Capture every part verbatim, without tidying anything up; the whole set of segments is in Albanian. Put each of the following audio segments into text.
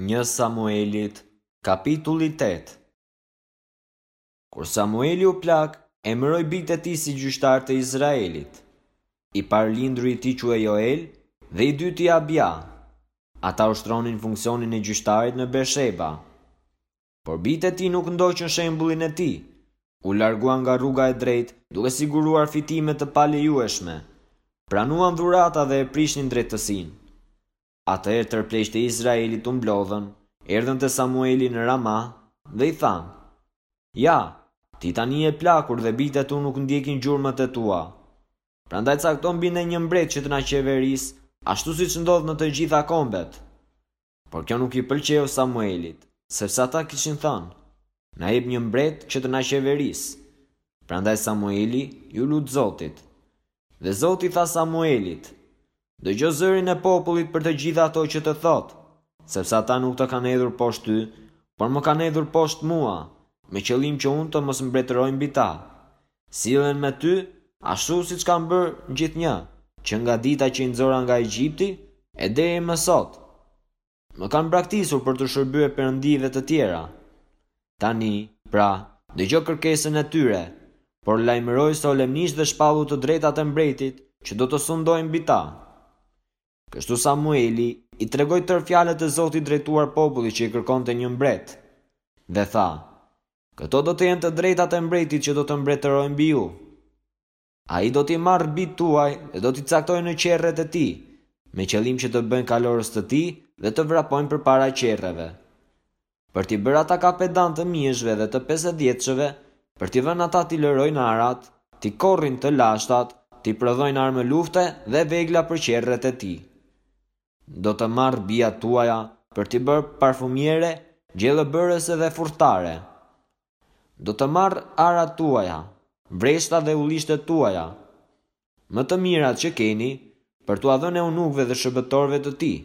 Një Samuelit, kapitulli tetë. Kur Samueli u plak, emëroi bijtë e tij si gjyqtar të Izraelit. I parëlinduri i tij quhej Joel dhe i dyti Abia. Ata ushtronin funksionin e gjyqtarit në Bersheba. Por bijtë e tij nuk ndoqën shembullin e tij. U larguan nga rruga e drejtë, duke siguruar fitime të palejueshme. Pranuan dhurata dhe e prishnin drejtësinë. Atëherë tërë pleqtë e Izraelit u mblodhën, erdhën te Samueli në Ramah dhe i thanë: Ja, ti tani je plakur dhe bijtë e tu nuk ndjekin gjurmët e tua. Prandaj cakto mbi ne një mbret që të na qeverisë, ashtu siç ndodh në të gjitha kombet. Por kjo nuk i pëlqeu Samuelit, sepse ata kishin thënë: Na jep një mbret që të na qeverisë. Prandaj Samueli iu lut Zotit. Dhe Zoti tha Samuelit: Dëgjo zërin e popullit për të gjitha ato që të thotë, sepse ata nuk të kanë hedhur poshtë ty, por më kanë hedhur poshtë mua, me qëllim që unë të mos mbretëroj mbi ta. Sillen me ty ashtu siç kanë bërë gjithnjë, që nga dita që i nxora nga Egjipti e deri më sot. Më kanë braktisur për t'u shërbyer perëndive të tjera. Tani, pra, dëgjo kërkesën e tyre, por lajmëroi solemnisht dhe shpallu të drejtat e mbretit që do të sundojë mbi ta. Kështu Samueli i tregoi tërë fjalët e Zotit drejtuar popullit që i kërkonte një mbret. Dhe tha: Këto do të jenë të drejtat e mbretit që do të mbretërojë mbi ju. Ai do t'i marrë bijtë tuaj dhe do t'i caktojë në qerret e tij, me qëllim që të bëjnë kalorës të tij dhe të vrapojnë përpara qerreve. Për t'i bërë ata kapedan të mijëshve dhe të pesëdhjetëshëve, për t'i vënë ata t'i lërojnë arat, t'i korrin të lashtat, t'i prodhojnë armë lufte dhe vegla për qerret e tij. Do të marrë bijat tuaja për t'i bërë parfumiere, gjellëbërëse dhe furtare. Do të marrë arat tuaja, vreshtat dhe ullishtet tuaja, më të mirat që keni, për t'ua dhënë eunukëve dhe shërbëtorëve të tij.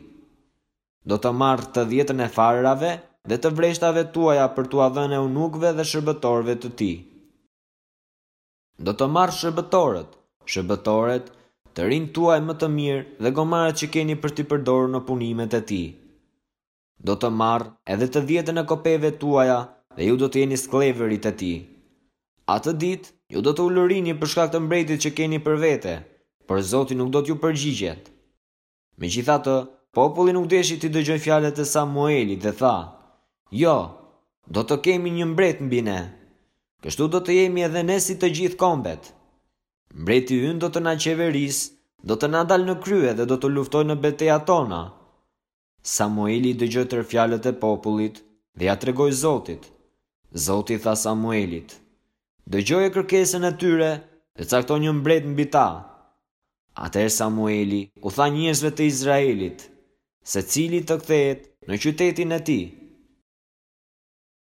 Do të marrë të dhjetën e farërave dhe të vreshtave tuaja për t'ua dhënë eunukëve dhe shërbëtorëve të tij. Do të marrë shërbëtorët, shërbëtoret, të rinjtë tuaj më të mirë dhe gomarët që keni për t'i përdorur në punimet e tij. Do të marrë edhe të dhjetën e kopeve tuaja dhe ju do të jeni skllevërit e tij. Atë ditë ju do të ulërini për shkak të mbretit që keni për vete, por Zoti nuk do t'ju përgjigjet. Megjithatë, populli nuk deshi t'i dëgjojë fjalët e Samuelit dhe tha: Jo, do të kemi një mbret mbi ne. Kështu do të jemi edhe ne si të gjithë kombet. Mbreti ynë do të na qeverisë, do të na dalë në krye dhe do të luftojë në betejat tona. Samueli dëgjoi tërë fjalët e popullit dhe ja tregoi Zotit. Zoti tha Samuelit: Dëgjoje kërkesën e tyre dhe cakto një mbret mbi ta. Atëherë Samueli u tha njerëzve të Izraelit, secili të kthehet në qytetin e tij.